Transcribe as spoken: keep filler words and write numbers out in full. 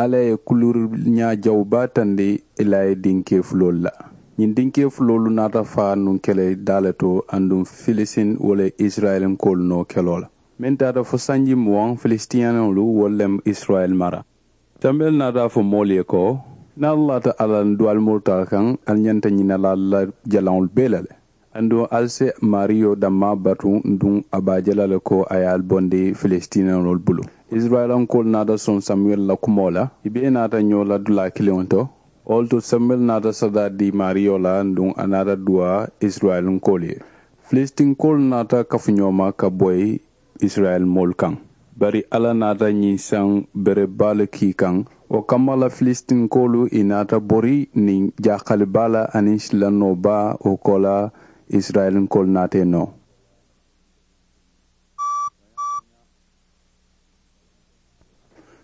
Alla ye kuluuri ñaa jawu baa tandi i la ye dinkee fuloolu la. Ñiŋ dinkee fuloolu naata faa nuŋ kele daa le to aduŋ filistin wo le ye isirayilinkoolu noo keloo la. Meŋ taata fo sanji muwaŋ filistiniyanoolu wolu le mu isirayili mara. Sambel naata a fo moolu ye ko, niŋ ali laata alla la duwaalimolu taa kaŋ, ali ñanta ñina la alla la jalaŋolu bee la le. Aduŋ ali si maariyo dammaa batu, aduŋ a be a je la le ko a ye ali bondi filistiniyanoolu bulu. Isirayilankoolu naata soŋ samuwel la kumoo la, i bee naata ñoo la dulaa kiliŋo to. Wo le to samuwel naata sadaa dii maariyo la, aduŋ a naata duwaa isirayilankoolu ye. Filistinkoolu naata kafu ñoo ma ka boyi isirayil moolu kaŋ. Bari alla naata ñiŋ saŋ bere baa le kii kaŋ. Wo kamma la filistinkoolu i naata bori niŋ jaakali baa la aniŋ silannoo baa wo koolaa. Isirayilinkoolu naata i noo.